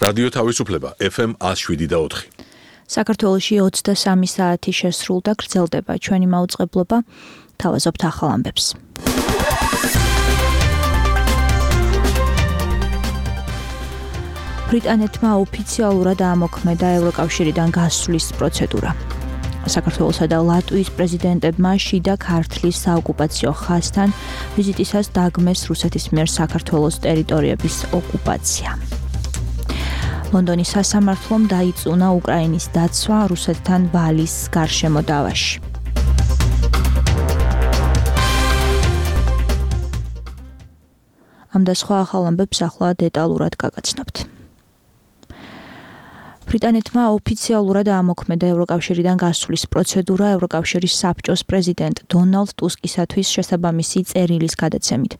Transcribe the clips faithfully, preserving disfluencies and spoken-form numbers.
რადიო თავისუფლება F M one oh seven და four. საქართველოში ოცდასამი საათი შესრულდა, გრძელდება ჩვენი მაუწყებლობა. თავაზობთ ახალ ამბებს. ბრიტანეთმა ოფიციალურად ამოქმედა ევროკავშირიდან გასვლის პროცედურა. საქართველოსა და ლატვიის პრეზიდენტებმა შიდა ქართლის საოკუპაციო ხაზთან ვიზიტისას დაგმეს რუსეთის მიერ საქართველოს ტერიტორიების ოკუპაცია. ლონდონის სასამართლომ დაიწუნა უკრაინის დაცვა რუსეთთან ვალის გარშემო დავაში. ამ და სხვა ახალ ამბებს ახლა დეტალურად გაგაცნობთ. ბრიტანეთმა ოფიციალურად ამოქმედა ევროკავშირიდან გასვლის პროცედურა ევროკავშირის საბჭოს პრეზიდენტ დონალდ ტუსკისათვის შესაბამისი წერილის გადაცემით.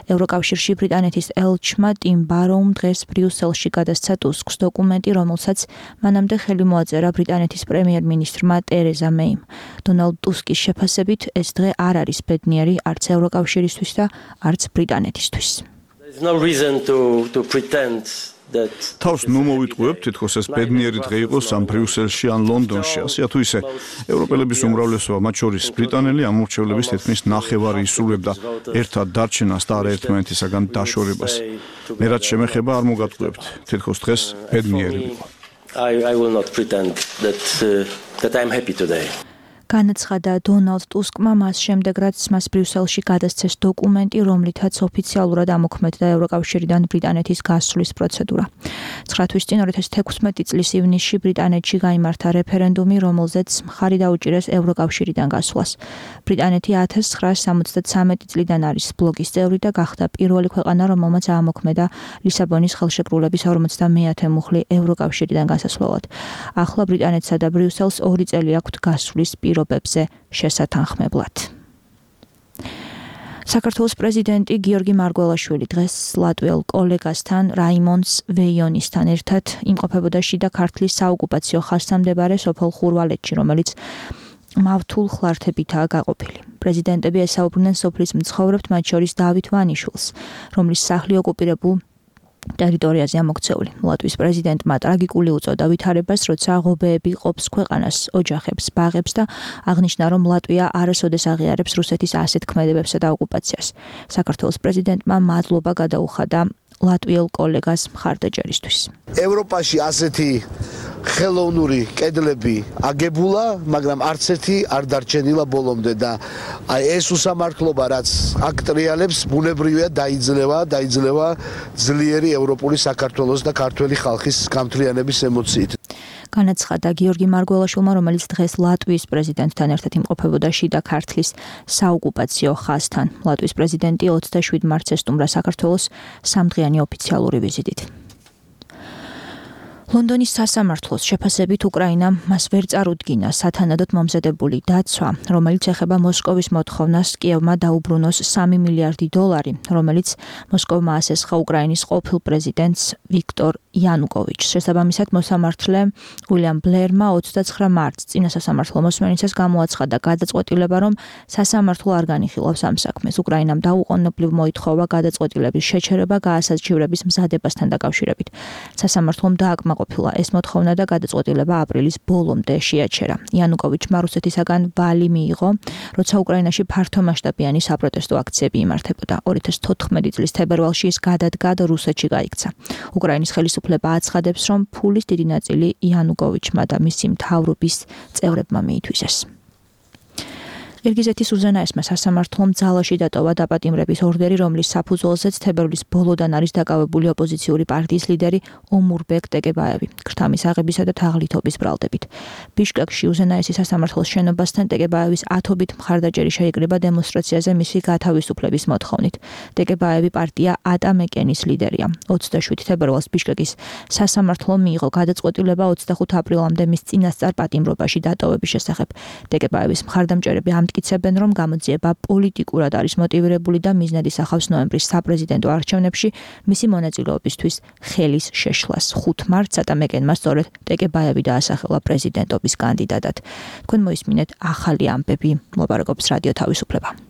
ევროკავშირში ბრიტანეთის ელჩმა ტიმ ბაროუმ დღეს ბრიუსელში გადასცა ტუსკს დოკუმენტი, რომელსაც მანამდე ხელი მოაწერა ბრიტანეთის პრემიერ-მინისტრმა ტერეზა მეიმ. დონალდ ტუსკის შეფასებით ეს დღე არ არის ბედნიერი არც ევროკავშირისთვის და არც ბრიტანეთისთვის. There's no reason to to pretend თავს ნუ მოვიტყუებთ, თითქოს ეს ბედნიერი დღე იყოს ამ ბრიუსელში ან ლონდონში, ასე თუ ისე ევროპელების უმრავლესობა, მათ შორის ბრიტანელი ამორჩევლების თითქმის ნახევარი ისრულებდა ერთად დარჩენას და არაერთმანეთისაგან დაშორებას. მე რაც შემეხება არ მოგატყუებთ, თითქოს დღეს ბედნიერი იყო. I I will not pretend that uh, that I'm happy today. განაცხადა დონალდ ტუსკმა მას შემდეგ, რაც მას ბრიუსელში გადასცეს დოკუმენტი, რომლითაც ოფიციალურად ამოქმედდა ევროკავშირიდან ბრიტანეთის გასვლის პროცედურა. ცხრა თვის წინ ორი ათას თექვსმეტი წლის ივნისში ბრიტანეთში გაიმართა რეფერენდუმი, რომელზეც მხარი დაუჭირეს ევროკავშირიდან გასვლას. ბრიტანეთი ათას ცხრაასი სამოცდათვრამეტი წლიდან არის ბლოკის წევრი და გახდა პირველი ქვეყანა, რომელმაც აამოქმედა ლისაბონის ხელშეკრულების ორმოცდამეათე მუხლი ევროკავშირიდან გასასვლელად. ახლა ბრიტანეთსა და ბრიუსელს ორი წელი აქვთ გასვლის პირობებზე შესათანხმებლად. საქართველოს პრეზიდენტი გიორგი მარგველაშვილი დღეს ლატვიელ კოლეგასთან რაიმონდ ვეიონისთან ერთად იმყოფებოდა შიდა ქართლის საოკუპაციო ხაზთან მდებარე სოფელ ხურვალეთში, რომელიც მავთულ ხლართებითაა გაყოფილი. პრეზიდენტები ესაუბრნენ სოფლის მცხოვრებთ, მათ შორის დავით ვანიშვილს, რომლის სახლი ოკუპირებულ ტერიტორიაზე ამოქცეული. ლატვიის პრეზიდენტმა ტრაგიკული უწოდა ვითარებას, როცა ღობეები ყოფს ქვეყანას, ოჯახებს, ბაღებს და აღნიშნა, რომ ლატვია არასოდეს აღიარებს რუსეთის ასეთ ქმედებებსა და ოკუპაციას. საქართველოს პრეზიდენტმა მადლობა გადაუხადა ლატვიელ კოლეგას მხარდაჭერისთვის. ევროპაში ასეთი ხელოვნური კედლები აგებულა, მაგრამ არც ერთი არ დარჩენილა ბოლომდე და აი ეს უსამართლობა, რაც აქ ტრიალებს, ბუნებრივია დაიძლევა, დაიძლევა ძლიერი ევროპული საქართველოს და ქართველი ხალხის გამთლიანების ემოციით. განაცხადა გიორგი მარგველაშვილმა, რომელიც დღეს ლატვიის პრეზიდენტთან ერთად იმყოფებოდა შიდა ქართლის საოკუპაციო ხაზთან. ლატვიის პრეზიდენტი ოცდაშვიდ მარტს ესტუმრა საქართველოს სამდღიანი ოფიციალური ვიზიტით. ლონდონის სასამართლოს შეფასებით უკრაინამ მას ვერ წარუდგინა სათანადოდ მომზადებული დაცვა, რომელიც ეხება მოსკოვის მოთხოვნას კიევმა დაუბრუნოს სამი მილიარდი დოლარი, რომელიც მოსკოვმა ასესხა უკრაინის ყოფილ პრეზიდენტს ვიქტორ იანუკოვიჩს. შესაბამისად, მოსამართლე უილიამ ბლერმა ოცდაცხრა მარტს წინა სასამართლო მოსმენისას გამოაცხადა გადაწყვეტილება, რომ სასამართლო არ განიხილავს ამ საქმეს. უკრაინამ დაუყოვნებლივ მოითხოვა გადაწყვეტილების შეჩერება გაასაჩივრების მზადებასთან დაკავშირებით. სასამართლომ დააკმაყოფილა ყოფილა ეს მოთხოვნა და გადაწყვეტილება აპრილის ბოლომდე შეაჩერა. იანუკოვიჩმა რუსეთისაგან ვალი მიიღო, როცა უკრაინაში ფართომასშტაბიანი საპროტესტო აქციები იმართებოდა. ორი ათას თოთხმეტი წლის თებერვალში ის გადადგა და რუსეთში გაიქცა. უკრაინის ხელისუფლება აცხადებს, რომ ფულის დიდი ნაწილი იანუკოვიჩმა და მისი მთავრობის წევრებმა მიითვისეს. ყირგიზეთის უზენაესმა სასამართლომ ძალაში დატოვა დაპატიმრების ორდერი, რომლის საფუძველზეც თებერვლის ბოლოდან არის დაკავებული ოპოზიციური პარტიის ლიდერი ომურბეკ ტეკებაევი, ქრთამის აღებისა და თაღლითობის ბრალდებით. ბიშკეკში უზენაესი სასამართლოს შენობასთან ტეკებაევის ათობით მხარდაჭერი შეიკრიბა დემონსტრაციაზე მისი გათავისუფლების მოთხოვნით. ტეკებაევი პარტია ატამეკენის ლიდერია. ოცდაშვიდ თებერვალს ბიშკეკის სასამართლომ მიიღო გადაწყვეტილება ოცდახუთ აპრილამდე მის წინასწარ პატიმრობაში დატოვების შესახებ. ტეკებაევის მხარდამჭერები ამ მტკიცებენ, რომ გამოძიება პოლიტიკურად არის მოტივირებული და მიზნად ისახავს ნოემბრის საპრეზიდენტო არჩევნებში მისი მონაწილეობისთვის ხელის შეშლას. ხუთ მარტს ატამეკენმა სწორედ ტეკებაევი დაასახელა პრეზიდენტობის კანდიდატად. თქვენ მოისმინეთ ახალი ამბები, მოლაპარაკობს რადიო თავისუფლება.